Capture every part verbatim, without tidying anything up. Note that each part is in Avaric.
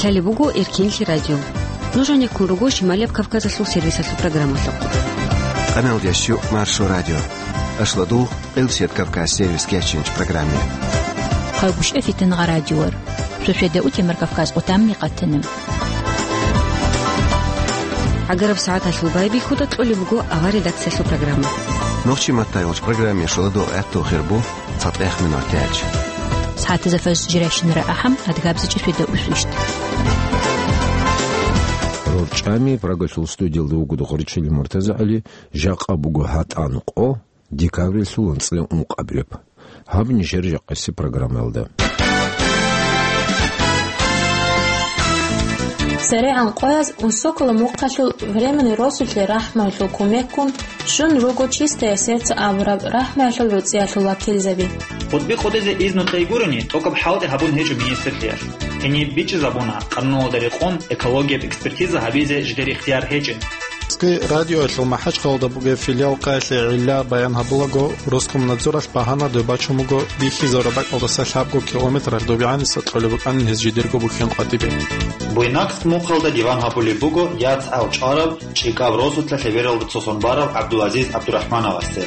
Лъалеб буго Эркенлъи радио. Нуж гьанеккун руго Шималияб Кавказалъул сервисалъул программалъухъ. Къамел ящу Маршо радио. Ашладул, Къилсият Кавказ сервис кечинч программе. Хъалгушев Фитнагъа радиор. Шошеда утемар Кавказ къутамни къатанам. ГӀагараб сагӀаталъул байбихьуда кьолеб буго авар редакциялъул программа. Нохчи маттайолч программе шоладо гӀатту хирбу цатӀех минут тяч. СагӀатазда фаз жирайщинара ахӀам, адгабзичӀи шведа усвищт. РорчӀами Прагалъул студиялда вуго Духаричили МуртазагӀали, жакъа буго гьатӀан къо, декабрилъул анцӀила ункъабилеб. Гьаб нижер жакъаси программаялда. ЦерегӀан къояз унсокала мухъалъул временный росулъе рахӀмуялъул кумеккун щун руго «Чистое сердце» абураб рахӀмуялъул ручӀиялъул вакилзаби. Хутби къудизе изну кьей гурони, тӀокӀаб хӀалтӀи гьабун гьечӀо министрлъиялъ. Гьениб бичӀчӀизабуна, къануналда рекъон экологияб экспертиза гьабизе жидер ихтияр гьечӀин. Цоги радиоялъул МахӀачхъалада бугеб филиал къаялъе гӀилла баян гьабулаго, Роскомнадзоралъ багьана дой бачун буго бихьизараб бакӀалдаса лъабго километралъ добегӀаниса кьолеб букӀанин гьез жидерго бухьен къватӀибе. Буйнакск мухъалда диван гьабулеб буго яцӀал чӀвараб ЧӀикӀаб росулъа лъебералда цосон барав ГӀабдулазиз ГӀабдурахӀмановасде.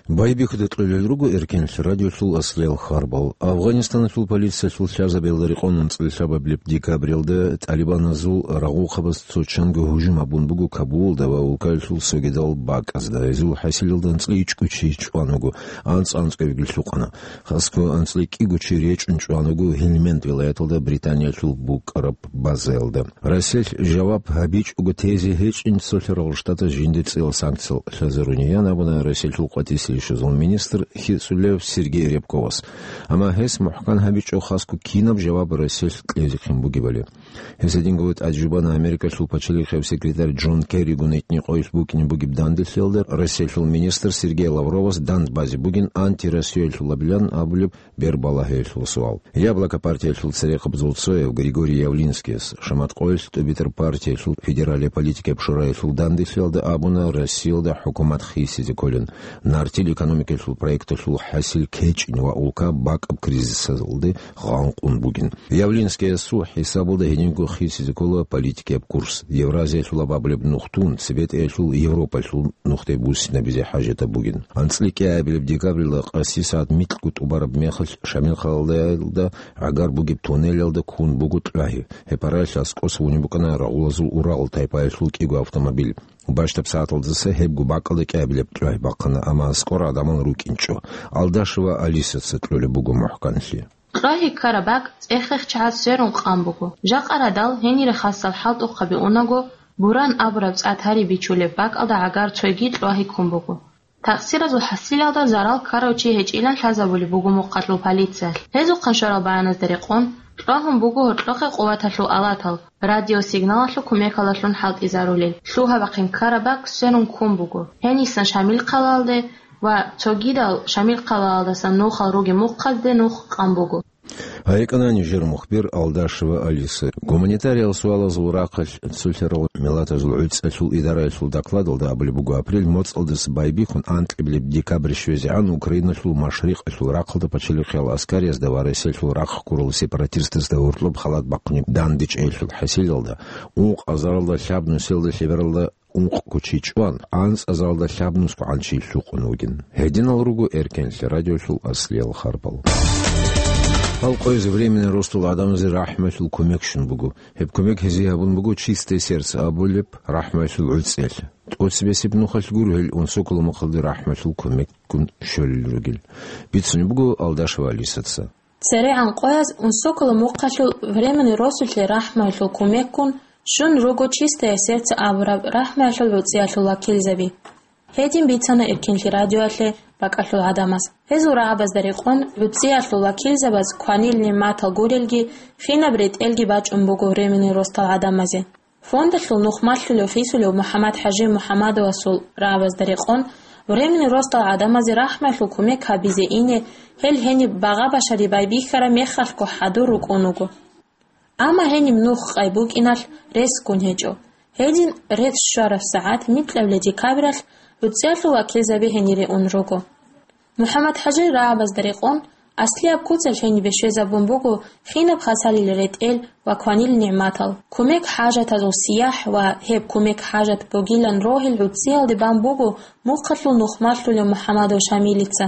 Байбихьуда кьолел руго Эркенлъи радиолъул аслиял харбал. Афганистаналъул полициялъул лъазабиялда рекъон анцӀила лъабабилеб декабралда талибаназул рагъухъабаз цо чанго гьужум гьабун буго Кабулалда ва улкаялъул цогидал бакӀазда. Гьезул хӀасилалда анцӀила ичӀго чи чӀван вуго, анцӀ-анцӀгоябги лъукъана. Хасго анцӀила кӀиго чи речӀчӀун чӀван вуго Гьелманд вилаяталда Британиялъул букӀараб базаялда. Россиялъ жаваб гьабичӀого тезе гьечӀин цолъарал штатаз жинда цӀила санкциял лъазарунин абуна Россиялъул къватӀиса рищазул министр хицӀулев Сергей Рябковас. Амма гьес мухӀкан гьабичӀо хасго кинаб жаваб Россиялъ кьезехъин бугебали. Гьес гьединго тӀаде жубана Америкалъул пачалихъияб секретарь Джон Керригун итни къоялъ букӀине бугеб данделъиялда Россиялъул министр Сергей Лавровас дандбазе бугин антироссиялъулабилан абулеб бербалагьиялъул суал. Яблоко партиялъул церехъабазул цояв Григорий Явлинскияс, шамат къоялъ ТӀубитӀар партиялъул федералияб политикаяб шураялъул данделъиялда абуна, Россиялда хӀукумат хисизе кколин, нартил экономикаялъул проекталъул хӀасил кечӀин ва улка бакӀаб кризисалде гъанкъун бугин. Явлинскиясул хӀисабалда гьединго хисизе ккола политикаяб курс, Евразиялъулаб абулеб нух тун, цебетӀеялъул Европалъул нухде буссинабизе хӀажатаб бугин. АнцӀила кӀиабилеб декабрила къаси сагӀат микьго тӀубараб мехалъ Шамилхъалалда гӀагар бугеб туннелалда ккун буго кьвагьи. Гьеб гьаралъ аскӀоса унеб букӀана рагъулазул урал тайпаялъул кӀиго автомобиль. Бащдаб сагӀаталдаса гьебго бакӀалда кӀиабилеб кьвагьи бахъана, амма аскӀор гӀадамал рукӀинчӀо. Алдашева Алисаца кьолеб буго мухӀканлъи. Кьвагьи ккараб бакӀ цӀехехъ чагӀаз сверун къан буго. Жакъа радал гьенире хасал хӀалтӀухъаби унаго, Буран абураб цӀар гьари бичулеб бакӀалда гӀагар цойги кьвагьи ккун буго. Такъсиразул хӀасилалда зарал ккарав чи гьечӀилан лъазабулеб буго мухъалъул полициялъ. Гьезухъан щварал баяназда рекъон, кьвагьун буго гьоркьохъе къуваталъул алатал, радиосигналалъул кумекалдалъун хӀалтӀизарулел. Лъугьа-бахъин ккараб бакӀ сверун ккун буго. Гьенисан Шамилхъалалде ва цогидал Шамилхъалалдасан нухал ругеб мухъазде нух къан буго. ГьайикӀана нижер мухбир Алдашева Алиса. Гуманитариял суалазул рахъалъ цолъарал миллатазул гӀуцӀалъул идараялъул докладалда абулеб буго, апрель моцӀалдаса байбихьун анкьабилеб декабрь щвезегӀан Украиналъул машрикъалъул рахъалда пачалихъиял аскариязда ва Россиялъул рахъ ккурал сепаратистазда гьоркьоб халат бахъунеб дандечӀеялъул хӀасилалда, ункъазаралда лъабнусиялда лъебералда ункъго чи чӀван, анцӀазаралда лъабнусгогӀан чи лъукъун вугин. Гьединал руго Эркенлъи радиолъул аслиял харбал. Халкъоязе временный ростул гӀадамазе рахӀмалъул кумек щун буго. Гьеб кумек гьезие гьабун буго «Чистое сердце» абулеб рахӀмалъул гӀуцӀиялъ. ТӀоцебесеб нухалъ гуро гьел унсокала мухъалде рахӀмалъул кумеккун щолел ругел. Бицунеб буго Алдашева Алисаца. ЦерегӀан къояз унсокала мухъалъул временный росулъе рахӀмалъул кумеккун щун руго «Чистое сердце» абураб рахӀмалъул гӀуцӀиялъул вакилзаби. Гьедин бицана Эркенлъи радиоялъе бакӀалъул гӀадамаз. Гьезул рагӀабазда рекъон, гӀуцӀиялъул вакилзабаз кванил нигӀматал гурелги, кинаб ретӀелги бачӀун буго временный ростал гӀадамазе. Фондалъул нух малъулев-хисулев МухӀаммад-ХӀажи МухӀаммадовасул рагӀабазда рекъон, временный ростал гӀадамазе рахӀмалъул кумек гьабизе ине, гьел гьениб багъа-башари байбихьараб мехалъго хӀадур рукӀун вуго. Амма гьениб нух къай букӀиналъ ресгун гьечӀо. Гьедин рес щвараб сагӀат микьабилеб декабралъ гӀуцӀиялъул вакилзаби гьенире ун руго. МухӀаммад-ХӀажир рагӀабазда рекъон, Аслияб куцалъ гьенибе щвезабун буго хинаб хасалил ретӀел ва кванил нигӀматал, кумек хӀажатазул сияхӀ ва гьеб кумек хӀажат бугилан рогьил гӀуцӀиялде бан буго мухъалъул нухмалъулев МухӀамадов Шамилица.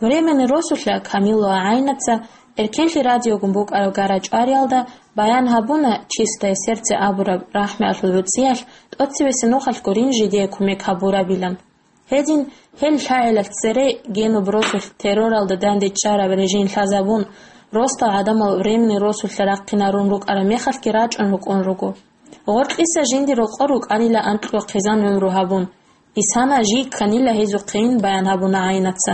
Временный росулъа Камилова ГӀайнаца, Эркенлъи радиогун букӀараб гара-чӀвариялда, баян гьабуна «Чистое сердце» абураб рахӀмуялъул гӀуцӀиялъ тӀоцебесеб нухалъ гурин жидее кумек гьабурабилан. Гьедин, гьел лъагӀелалъ цере генуб росулъ терроралда данде чӀараб режим лъазабун, росдал гӀадамал временный росулъа рахъинарун рукӀараб мехалъги рачӀун рукӀун руго. Гъоркьиса жинди рокъор рукӀанила анкьго хъизан гӀумру гьабун. Исана жий кканила гьезухъейин баян гьабуна ГӀайнаца.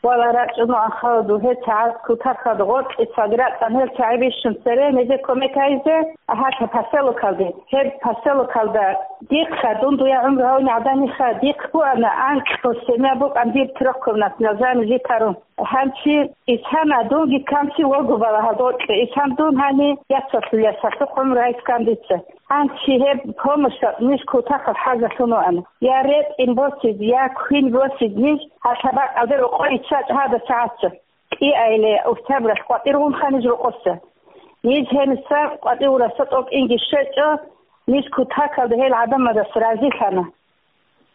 Вала рачӀуна ахаладу гьел чагӀаз кутакалда гъоркьиса рацӀцӀан гьел чагӀи бищун цере гьезе кумек гьайзе гьалъа поселокалде. Гьеб поселокалда дихъа, дун дуя гӀумру гьавни гӀадамиха, дихъ буана анкьго семья букӀан дир трехкомнатный жани житарун. Гьанчи Исана дунги канци вогу балагьал докье. Исан дун гьани яцалъул ясалъухъ гӀумру гьайскан дица. Гьанчи гьеб помощалъ ниж кутакал хӀажалъун вуана. Я ретӀин босиз, я квин босиз ниж гьалъа бакӀалде рокъой чачӀ гьада чагӀаца. КӀиайле октябралъ къватӀир гъунха ниж рокъоса. Ниж гьениса къватӀивраса тӀокӀинги щвечӀо, ниж кутакалда гьел гӀадамазас разилъана.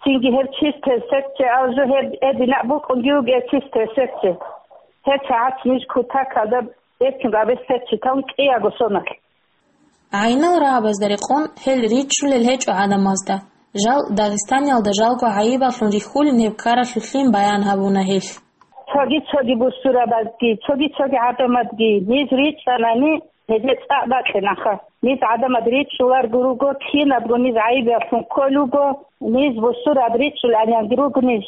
Цинги гьеб чистое сердце алжу гьеб эдинаб букӀунги вугев чистое сердце. Гьеб чагӀац ниж кутакалда бецин гъабе сердце тавун кӀияго соналъ. ГӀайнал рагӀабазда рекъон гьел ричӀчӀулел гьечӀо гӀадамазда. Жал Дагъистаниялда жалго гӀайибаллъун рихьулин гьеб ккаралъулъин баян гьабуна гьелъ. Цоги-цоги бусурабазги, цоги-цоги гӀадамазги ниж ричӀчӀанани, гьезие цӀакъ бакьинаха. Ниж гӀадамаз ричӀчӀуларго руго, кинабго ниж гӀайибаллъун кколуго, ниж бусураб ричӀчӀуланиянги руго ниж.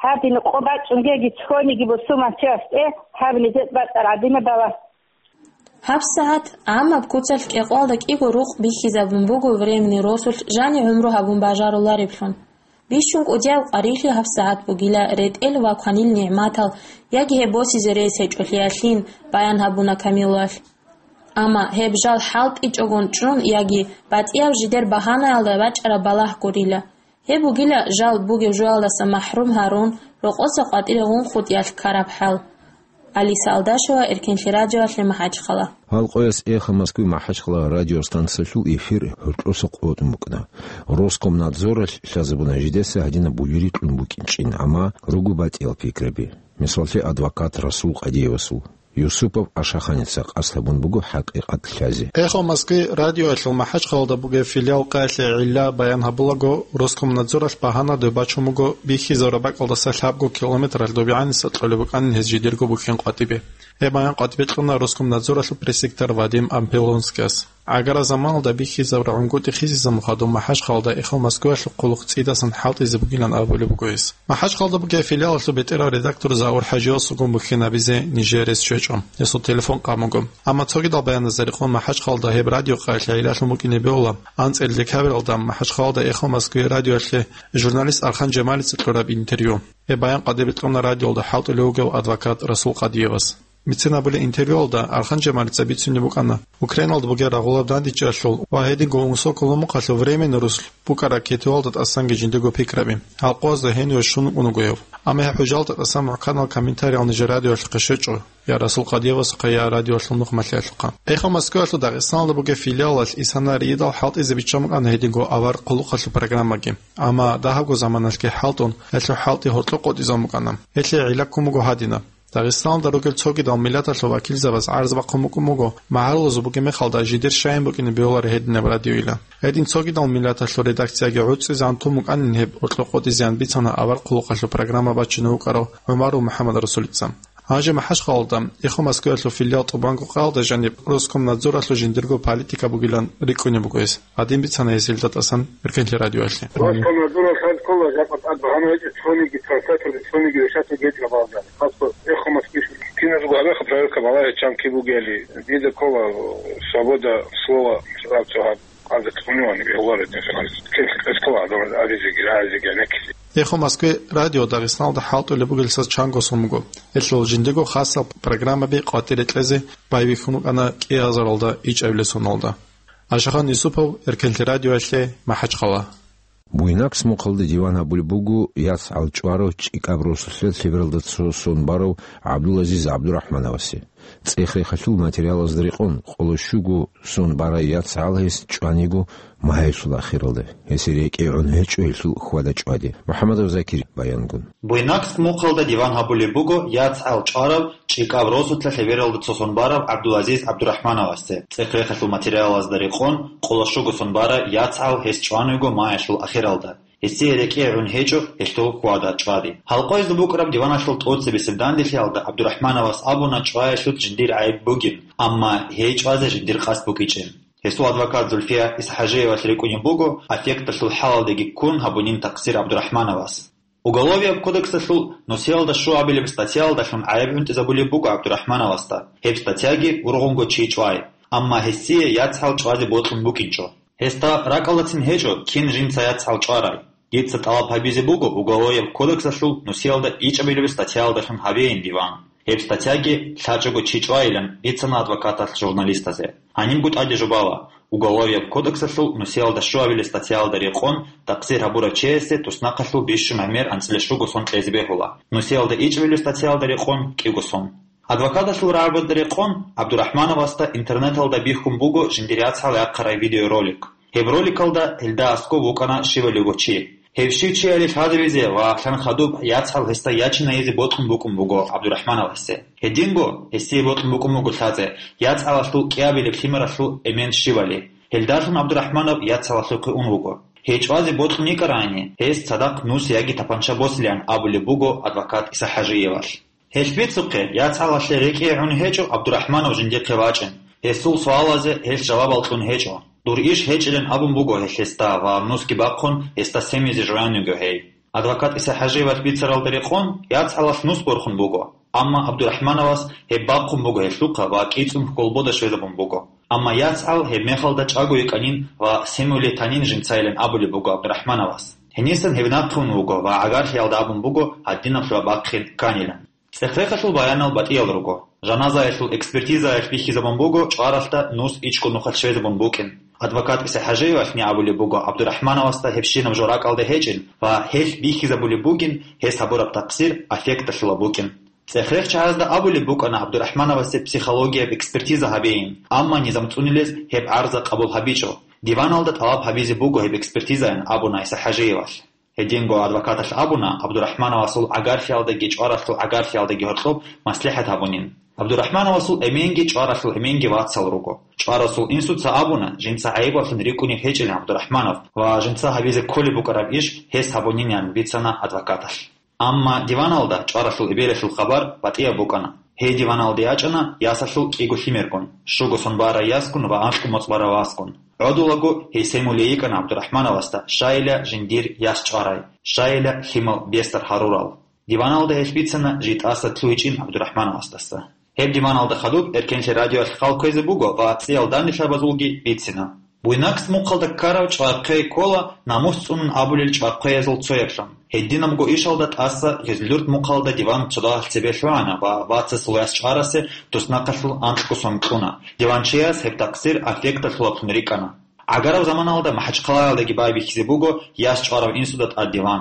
Гьадин къо бачӀунгеги цониги бусурманчиясде гьаб нижер бацӀар гӀадинаб бала. ГьабсагӀат гӀаммаб куцалъ кӀикъоялда кӀиго рукъ бихьизабун буго временный росулъ жани гӀумру гьабун бажарулареблъун. Бищун кӀудияб къварилъи гьабсагӀат бугила ретӀел ва кванил нигӀматал яги гьеб босизе рес гьечӀолъиялъин баян гьабуна Камилалъ. Амма гьеб жал хӀалтӀичӀогон чӀун яги батӀияб жидер багьанаялда бачӀараб балагь гурила. Гьеб бугила жал бугеб жоялдаса махӀрум гьарун, рокъоса къватӀире гъунхутӀиялъ ккараб хӀал. Алиса Алдашева, Эркенлъи радиоялъе МахӀачхъала. Гьал къояс «Эхо Москвы» МахӀачхъала радиостанциялъул эфир гьоркьоса къотӀун букӀана. Роскомнадзоралъ лъазабуна жидеса гьадинаб буюри кьун букӀинчӀин, амма руго батӀиял пикраби. Мисаллъи, адвокат Расул Къадиевасул. Юсупов Ашаханица къасд гьабун буго хӀакъикъат лъазе. «Эхо Москвы» радиоялъул МахӀачхъалалда бугеб филиал къаялъе гӀилла баян гьабулаго, Роскомнадзоралъ багьана доб бачун буго бихьизабураб бакӀалдаса лъабго километралъ добегӀаниса кьолеб букӀанин гьез жидерго бухьен къватӀибе. Гьеб баян къватӀибе кьуна Роскомнадзоралъул пресс-секретарь Вадим Ампилонскияс. ГӀагара заманалда бихьизабураб гӀунгутӀи хисизабун хадуб МахӀачхъалалда «Эхо Москвы»ялъул хъулухъ цӀидасан хӀалтӀизе бугилан абулеб буго гьес. МахӀачхъалда бугеб филиалалъул бетӀерав редактор Заур ХӀажиевасулгун бухьинабизе нижее рес щвечӀо. Гьесул телефон къан буго. Амма цогидал баяназда рекъон МахӀачхъалда гьеб радио къаялъе гӀиллалъун букӀине бегьула анцӀила декабралда МахӀачхъалалда «Эхо Москвы» радиоялъе журналист Архан Жамалица кьураб интервью. Гьеб баян къватӀибе кьуна радиоялда хӀалтӀулев вугев адвокат Расул Къадиевас. Бицин абулеб интервьюялда Архан Жамалица бицунеб букӀана Украиналда бугеб рагъулаб дандечӀеялъул ва гьединго унсоколомухъалъул временный росулъ букӀараб кетуялда тӀасанги жиндирго пикраби, гьал къоязда гьениве щун вукӀун вуго гьев. Амма гьеб хӀужалда тӀасан мухӀканал комментариял нижер радиоялъухъе щвечӀо, я Расул Къадиевасухъе, я радиоялъул нухмалъиялъухъе. «Эхо Москвы»ялъул Дагъистаналда бугеб филиалалъ исана рийидал хӀалтӀизе биччан букӀана гьединго авар хъулухъалъул программаги. Амма дагьабго заманалъги хӀалтӀун, гьелъул хӀалтӀи гьоркьоб къотӀизабун букӀана. Гьелъие гӀилла ккун буго гьадинаб. Дагъистаналда ругел цогидал миллаталъул вакилзабаз гӀарз бахъун букӀун буго, магӀарулазул бугеб мехалда жидер щайин букӀине бегьуларо гьединаб радиойилан. Гьедин цогидал миллаталъул редакцияги гӀуцӀизегӀан тун букӀанин гьеб гьоркьоб къотӀизеян бицана авар хъулухъалъул программа бачине вукӀарав ГӀумаров МухӀаммадрасулица. Гьанже МахӀачхъалалда «Эхо Москвы»ялъул филиал тӀубанго къаялда жаниб Роскомнадзоралъул жиндирго политика бугилан рикӀкӀунеб буго гьес. Гьадин бицана гьес гьелда тӀасан Эркенлъи радиоялъе. Роскомнадзоралъ гьанкъула жакъа тӀад багьана гьечӀо цониги транслятор, цониги решать гьечӀо балагьани. Просто «Эхо Москвы» киназего гьабеха проверка балагье чанги бугели, дида ккола свобода слова, рабцо гьаб, гьаб цӀунивани бегьуларо динсаналис. Кин кӀвезе ккола гьадамаз абизеги, рагӀизеги, гӀенеккизе. «Эхо Москвы» радио Дагъистаналда хӀалтӀулеб бугелдаса чанго сон буго. Гьелъул жиндирго хасал программаби къватӀире кьезе байбихьун букӀана кӀиазаралда ичӀабилеб соналда. Ашахан Юсупов, Эркенлъи радиоялъе, МахӀачхъала. Буйнакс мухъалда диван гьабулеб буго яцгӀал чӀварав ЧӀикӀаб росулъа лъебералда цо сон барав ГӀабдулазиз ГӀабдурахмановасе. ЦӀех-рехалъул материалазда рекъон, къоло щуго сон барай яцгӀал гьес чӀваниго магьайсул ахиралда, гьесие рекӀее гӀун гьечӀо гьелъул хьвада-чӀвади. МухӀамадов Закир баянгун. Буйнакс мухъалда диван гьабулеб буго яцгӀал чӀварав ЧӀикӀаб росулъа лъебералда цо сон барав ГӀабдулазиз ГӀабдурахмановасе. ЦӀех-рехалъул материалазда рекъон, къоло щуго сон барай яцгӀал гьес чӀваниго магьайсул ахиралда, гьесие рекӀее гӀун гьечӀо гьелъул хьвада-чӀвади. Гьалкъоязда букӀараб диваналъул тӀоцебесеб данделъиялда ГӀабдурахмановас абуна чӀваялъулъ жиндир гӀайиб бугин, амма гьей чӀвазе жиндир къасд букӀинчӀин. Гьесул адвокат Зульфия ИсахӀажиевалъ рикӀкӀунеб буго, аффекталъул хӀалалдеги ккун гьабунин такъсир ГӀабдурахмановас. Уголовияб кодексалъул нусиялда щуабилеб статьяялдалъун гӀайиб гӀунтӀизабулеб буго ГӀабдурахмановасда, гьеб статьяги ургъунго чи чӀвай, амма гьесие яцгӀал чӀвазе бокьун букӀинчӀо. Гьесда ракӀалдацин гьечӀо, кин жинца яцгӀал чӀварай. Дица тӀалаб гьабизе буго Уголовияб кодексалъул нусиялда ичӀабилеб статьяялдалъун гьабейин диван. Гьеб статьяги лъачӀого чи чӀвайилан бицана адвокаталъ журналистазе. Гьанибго тӀаде жубала: Уголовияб кодексалъул нусиялда щуабилеб статьяялда рекъон такъсир гьабурав чиясе туснахъалъув бищун гӀемер анцӀила щуго сон кьезе бегьула, нусиялда ичӀабилеб статьяялда рекъон кӀиго сон. Адвокаталъул рагӀабазда рекъон, ГӀабдурахмановасда интернеталда бихьун буго жиндир яцгӀал яхъарай видеоролик. Гьеб роликалда гьелда аскӀов вукӀана щивалиго чи. Гьев щив чияли лъазабизе ва лъан хадуб яцгӀал гьесда ячинайизе бокьун букӀун буго ГӀабдурахмановасе. Гьединго, гьесие бокьун букӀун буго лъазе, яцгӀалалъул кӀиабилеб лъимералъул эмен щивали. Гьелдалъун ГӀабдурахманов яцгӀалалъухъе ун вуго. Гьей чӀвазе бокьун йикӀарайни, гьес цадахъ нус яги тапанча босилан абулеб буго адвокат ИсахӀажиевалъ. Гьелъ бицухъе, яцгӀалалъе рекӀее гӀун гьечӀо ГӀабдурахманов жиндихъе вачӀин. Гьесул суалазе гьелъ жавабал кьун гьечӀо. Дур иш гьечӀилан абун буго гьелъ гьесда ва нусги бахъун гьесда семизе жоян йиго гьей. Адвокат ИсахӀажиевалъ бицаралда рекъон, яцгӀалалъ нус борхун буго, амма ГӀабдурахмановас гьеб бахъун буго гьелъухъа ва кӀицӀун хьолбода щвезабун буго. Амма яцгӀал гьеб мехалда чӀаго йикӀанин ва семулей танин жинцайилан абулеб буго ГӀабдурахмановас. Гьенисан гьев нахъе ун вуго ва гӀагарлъиялда абун буго гьадинаб лъугьа бахъин кканилан. ЦӀех-рехалъул баянал батӀиял руго. Жаназаялъул экспертизаялъ бихьизабун буго чӀваралъда нус ичӀго нухалъ щвезабун букӀин. Адвокат ИсахӀажиевалъни абулеб буго ГӀабдурахмановасда гьебщинаб жо ракӀалда гьечӀин ва гьелъ бихьизабулеб бугин гьес гьабураб такъсир аффекталъула букӀин. ЦӀех-рех чагӀазда абулеб букӀана ГӀабдурахмановасе психологияб экспертиза гьабейин, амма низам цӀунилез гьеб гӀарза къабул гьабичӀо. Диваналда тӀалаб гьабизе буго гьеб экспертизаян, абуна ИсахӀажиевалъ. Гьединго адвокаталъ абуна, ГӀабдурахмановасул гӀагарлъиялдаги чӀваралъул гӀагарлъиялдаги гьоркьоб маслихӀат гьабунин. ГӀабдурахмановасул эменги чӀваралъул эменги вацал руго. ЧӀварасул инсуца абуна, жинца гӀайибаллъун рикӀкӀунеб гьечӀилан ГӀабдурахманов ва жинца гьабизе кколеб букӀараб иш гьес гьабунинилан бицана адвокаталъ. Амма диваналда чӀваралъул эбелалъул хабар батӀияб букӀана. Гьей диваналде ячӀана ясалъул кӀиго лъимергун, щуго сон барай ясгун ва анкьго моцӀ барай васгун. ГӀодулаго гьей семулей йикӀана ГӀабдурахмановасда, щайила жиндир яс чӀварай, щайила лъимал бесар гьарурал. Диваналда гьелъ бицана житӀаса лъугьичӀин ГӀабдурахмановасдаса. Гьеб диваналда хадуб Эркенлъи радиоялъ хал кквезе буго ва цӀиял данделъабазулги бицина. Буйнакс мухъалда ккарав чӀвай хъвей ккола намус цӀунун абулел чӀвай хъвеязул цояблъун. Гьединабго ишалда тӀаса Гъизлюрт мухъалда диван цо дагьалъ цебе лъугӀана ва вацасул яс чӀварасе туснахъалъул анкьго сон кьуна. Диванчияс гьеб такъсир аффекталъулаблъун рикӀкӀана. ГӀагараб заманалда МахӀачхъалаялдаги байбихьизе буго яс чӀварав инсуда тӀад диван.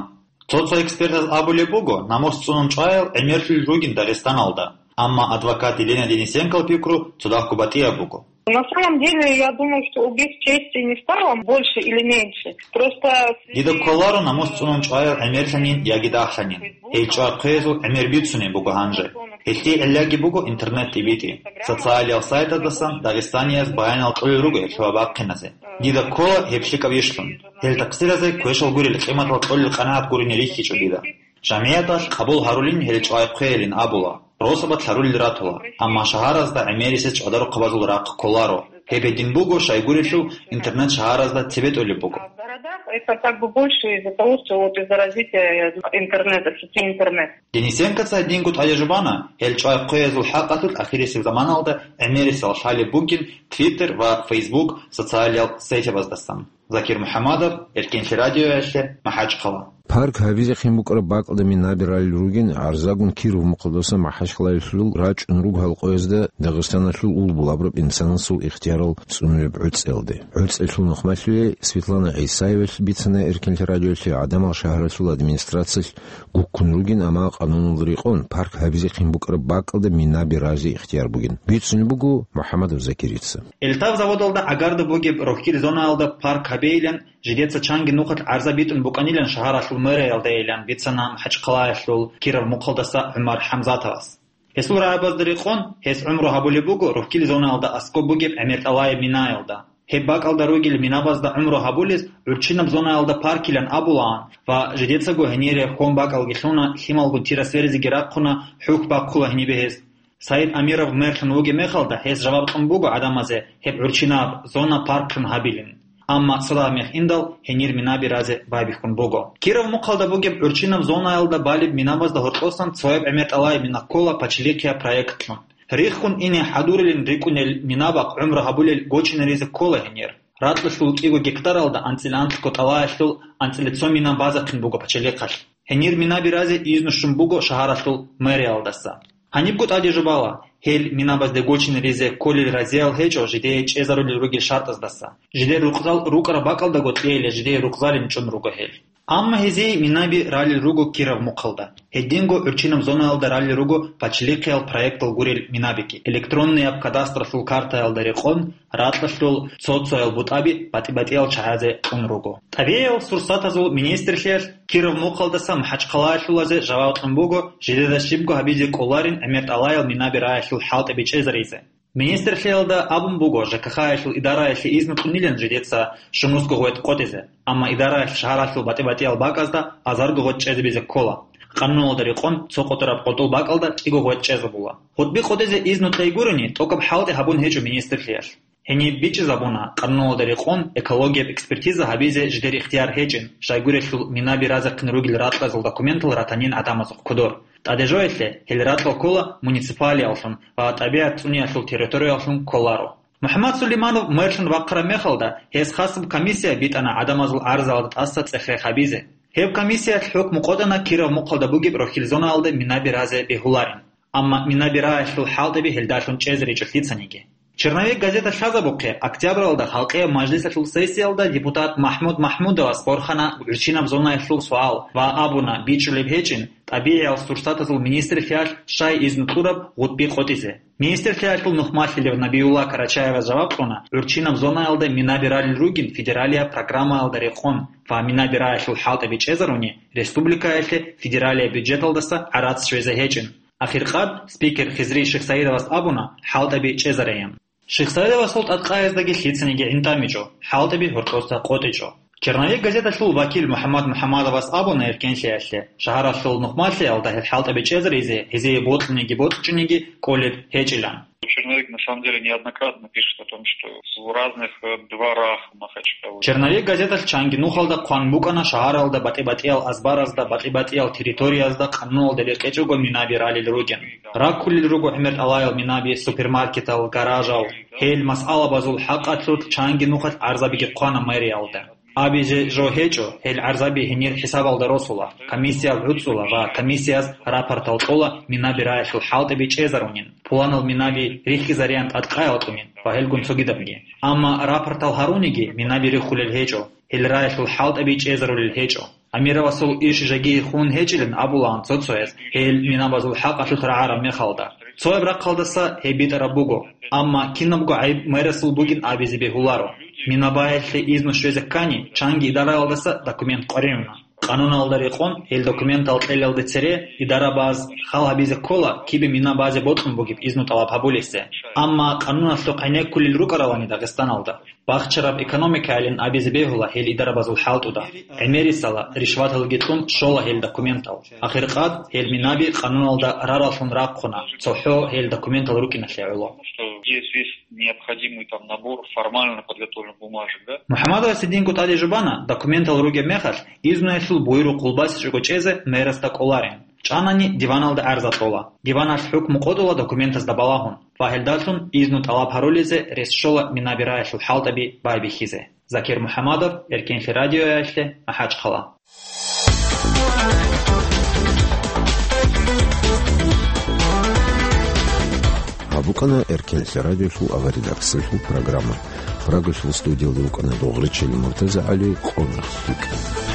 Цо-цо экспертаз абулеб буго, намус цӀунун чӀваял гӀемерлъулел ругин Дагъистаналда. Амма адвокат Елена Денисенкол пикру цадахъго батӀияб буго. На самом деле, я думаю, что убить чести не стало больше или меньше. Просто в связи... Дида кколаро намус цӀунун чӀваял гӀемерлъанин яги дагьлъанин. Гьел чӀвай хъвеязул гӀемер бицунеб буго гьанже. Гьелъие гӀиллаги буго интернет тӀибитӀи. Социалиял сайтаздасан дагъистанияз баянал кьолел руго гьелъ ва бахъиназе. Дида ккола гьеб лъикӀаб ишлъун. Гьел такъсиразе квешал гурел къиматал кьолел къанагӀат гурине рихьичӀо дида. ЖамигӀяталъ къабул гьарулин гьел чӀвай хъвеялин абула, росабалъ гьарулел ратула, амма шагьаразда гӀемерисез чӀвадарухъабазул рахъ кколаро. Гьеб гьедин буго, щайгурелъул интернет шагьаразда цебетӀолеб буго. А в городах это как бы больше из-за того, что вот из-за развития интернета, сети интернет. Денисенкоца гьединго тӀаде жубана, гьел чӀвай хъвеязул хӀакъалъулъ ахирисеб заманалда гӀемерисел лъалеб бугин Twitter ва Facebook социалиял сайтабаздасан. Закир МухӀамадов, Эркенлъи радиоялъе, МахӀачхъала. Парк гьабизехъин букӀараб бакӀалда минаби ралел ругин гӀарзагун Киров мухъалдаса МахӀачхъалаялъул рачӀун руго гьалкъоязда Дагъистаналъул улбул абураб инсанасул ихтиярал цӀунулеб гӀуцӀиялде. ГӀуцӀиялъул нухмалъуе Светлана ГӀисаевалъ бицана Эркенлъи радиоялъе гӀадамал шагьаралъул администрациялъ гуккун ругин, амма къануналда рекъон парк гьабизехъин букӀараб бакӀалда минаби разе ихтияр бугин. Бицунеб буго МухӀаммадов Закирица. Эльтав заводалда гӀагарда бугеб рохьил зонаялда парк гьабейилан жидеца чанги нухалъ гӀарза битӀун букӀанилан шагьаралъул мэриялдайилан бицана МахӀачхъалаялъул Киров мухъалдаса ГӀумар ХӀамзатовас. Гьесул рагӀабазда рекъон, гьес гӀумру гьабулеб буго рохьил зонаялда аскӀоб бугеб гӀемер тӀалаяб минаялда. Гьеб бакӀалда ругел минабазда гӀумру гьабулез гӀурччинаб зонаялда паркилан абулаан ва жидецаго гьенире хьон бакӀалги лъуна, лъималгун тира сверизеги рахъуна, хӀухь бахъула гьенибе гьес. Саид Амиров мэрлъун вугеб мехалда, гьес жаваб кьун буго гӀадамазе гьеб гӀурччинаб зона парклъун гьабилин. Амма цо дагьаб мех индал, гьенир минаби разе байбихьун буго. Киров мухъалда бугеб гӀурччинаб зонаялда балеб минабазда гьоркьосан цояб гӀемер тӀалай мина ккола пачалихъияб проектлъун. Риххун ине хӀадурилин рикӀкӀунел минабахъ гӀумру гьабулел гочинаризе ккола гьенир. Ракьалъул кӀиго гектаралда анцӀила анлъго тӀалаялъул анцӀила цо мина базахъин буго пачалихъалъ. Гьенир минаби разе изну щун буго шагьаралъул мэриялдаса. Гьанибго тӀаде жубала, гьел минабазде гочинаризе кколел разиял гьечӀо жидее чӀезарулел ругел шартӀаздаса. Жидер рукъзал рукӀараб бакӀалдаго кьейилан жидее рукъзалин чӀун руго гьел. Амма гьезие минаби ралел руго Киров мухъалда. Гьединго гӀурччинаб зонаялда ралел руго пачалихъиял проектал гурел минабиги. Электроннияб кадастралъул картаялда рекъон, ракьалъул цо-цоял бутӀаби батӀи-батӀиял чагӀазе кьун руго. ТӀабигӀиял сурсатазул министрлъиялъ Киров мухъалдаса МахӀачхъалаялъулазе жаваб кьун буго, жидеда щибго гьабизе кӀоларин гӀемер тӀалаял минаби раялъул хӀалтӀаби чӀезаризе. Министрлъиялда абун буго ЖКХ-ялъул идараялъе изну кьунилан жидеца Шунусго гъветӀ къотӀизе, амма идараялъ шагьаралъул батӀи-батӀиял бакӀазда азарго гъветӀ чӀезабизе ккола. Къануналда рекъон цо къотӀараб къотӀул бакӀалда кӀиго гъветӀ чӀезабула. ГъутӀби къотӀизе изну кьей гурони, тӀокӀаб хӀалтӀи гьабун гьечӀо министрлъиялъ. Гьениб бичӀчӀизабуна, къануналда рекъон экологияб экспертиза гьабизе жидер ихтияр гьечӀин, щайгурелъул минаби разехъин ругел ракьазул документал ратанин гӀадамазухъ кодор. ТӀаде жоялъе, гьел ракьал ккола муниципалияллъун ва тӀабигӀат цӀуниялъул территорияллъун кколаро. МухӀаммад Сулейманов мэрлъун вахъараб мехалда, гьес хасаб комиссия битӀана гӀадамазул гӀарзаялда тӀаса цӀех-рех гьабизе. Гьеб комиссиялъ хӀукму къотӀана Киров мухъалда бугеб рохьил зонаялда минаби разе бегьуларин. Амма минаби раялъул хӀалтӀаби гьелдалъун чӀезаричӀо лъицаниги. «Черновик» газета лъазабухъе, октябралда Халкъияб мажлисалъул сессиялда депутат МахӀмуд МахӀмудовас борхана гӀурччинаб зонаялъул суал ва абуна, бичӀчӀулеб гьечӀин, тӀабигӀиял сурсатазул министрлъиялъ щай изну кьураб гъутӀби къотӀизе. Министрлъиялъул нухмалъилев Набиулла Карачаевас жаваб кьуна, гӀурччинаб зонаялда минаби ралел ругин федералияб программаялда рекъон ва минаби раялъул хӀалтӀаби чӀезаруни, республикаялъе федералияб бюджеталдаса гӀарац щвезе гьечӀин. Ахиркъад спикер Хизри Шихсаидовас абуна, хӀалтӀаби чӀезараян. Шихсаидовасул тӀадкъаяздаги лъицаниги гӀинтӀамичӀо, хӀалтӀаби гьоркьоса къотӀичӀо. «Черновик» газеталъул вакил МухӀаммад МухӀаммадовас абуна эркенлъиялъе, шагьаралъул нухмалъиялда гьел хӀалтӀаби чӀезаризе, гьезие бокьуниги бокьчӀуниги кӀолеб гьечӀилан. «Черновик» на самом деле неоднократно пишет о том, что в разных, э, дворах Махачкалы. «Черновик» газеталъ чанги нухалда хъван букӀана шагьаралда батӀи-батӀиял азбаразда, батӀи-батӀиял территориязда къануналда рекъечӀого минаби ралел ругин. Раккулел руго гӀемер тӀалаял минаби супермаркетал, гаражал. Гьел масъалабазул хӀакъалъулъ чанги нухалъ гӀарзабиги хъвана мэриялда. Абизе жо гьечӀо, гьел гӀарзаби гьенир хӀисабалда росула, комиссиял гӀуцӀула ва комиссияс рапортал кьола минаби раялъул хӀалтӀаби чӀезарунин, пуланал минаби рихьизариан тӀадкъаял кьунин ва гьелгун цогидабги. Амма рапортал гьаруниги минаби риххулел гьечӀо, гьел раялъул хӀалтӀаби чӀезарулел гьечӀо». Амировасул иш жеги хун гьечӀилан абулаан цо-цояз, гьел минабазул хӀакъалъулъ рагӀараб мехалда. Цояб рахъалдаса гьеб битӀараб буго, амма кинабго гӀайиб мэрасул бугин абизе бегьуларо. Минабаялъе изну щвезе ккани, чанги идараялдаса документ къваригӀуна. Къануналда рекъон гьел документал кьелалде цере идарабаз хал гьабизе ккола кибе мина базе бокьун бугеб изну тӀалаб гьабулесе. Амма къануналъухъ гӀенеккулел рукӀаралани Дагъистаналда. Бахчараб экономикайилан абизе бегьула гьел идарабазул хӀалтӀуда. ГӀемерисала, ришваталги кьун щола гьел документал. Ахиркъад гьел минаби къануналда рараллъун рахъуна, цохӀо гьел документал рукӀиналъе гӀоло. Что есть весь необходимый там набор формально подготовленных бумажек, да? МухӀаммадовас гьединго тӀаде жубана, документал ругеб мехалъ, изнуялъул буйрухъ гъулбасичӀого чӀезе мэрасда кӀоларин. ЧӀанани диваналда гӀарза кьола. Диваналъ хӀукму къотӀула документазда балагьун ва гьелдалъун изну тӀалаб гьарулезе рес щола минаби раялъул хӀалтӀаби байбихьизе. Закир МухӀаммадов, Эркенлъи радиоялъе, МахӀачхъала. БукӀана Эркенлъи радиолъул аваридаксалъул программа. Прагалъул студиялда вукӀана Догъричил МуртазагӀали, къо нух рикӀкӀад.